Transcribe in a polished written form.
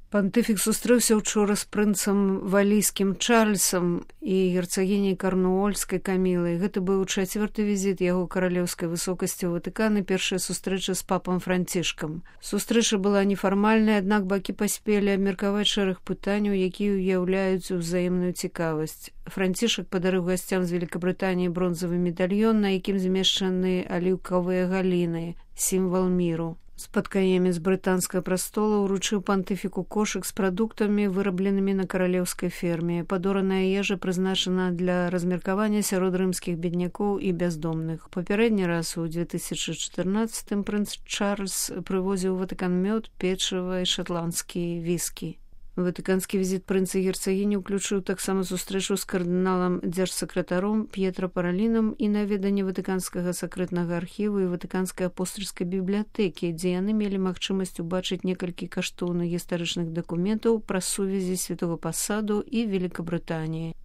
Пантыфік сустрэўся ўчора з прынцам валійскім Чарльзам і герцагіняй Карнуольскай Камілай. Гэта быў чацвёрты візіт яго каралеўскай высокасці ў Ватыкан і першая сустрэча з папам Францішкам. Сустрэча была нефармальная, аднак бакі паспелі абмеркаваць шэраг пытанняў, якія ўяўляюць узаемную цікавасць. Францішак падарыў гасцям з Великабрытаніі бронзавы медальён, на якім змешчаны аліўкавыя галіны, сімвал міру. Спаткаемец брытанскага прастола ўручыў пантыфіку кошык з прадуктамі, вырабленымі на каралеўскай ферме. Падораная ежа прызначана для размеркавання сярод рымскіх беднякоў і бяздомных. Папярэдні раз у 2014 прынц Чарльз прывозіў у Ватыкан мёд, печыва і шатландскія віскі. Ватыканскі візіт прынца і герцагіні ўключыў таксама сустрэчу з кардыналам дзяржсакратаром П'етра Паралінам і наведанне ватыканскага сакрэтнага архіву і ватыканскай апостальскай бібліятэкі, дзе яны мелі магчымасць убачыць некалькі каштоўных гістарычных дакументаў пра сувязі святога пасаду і Великабрытаніі.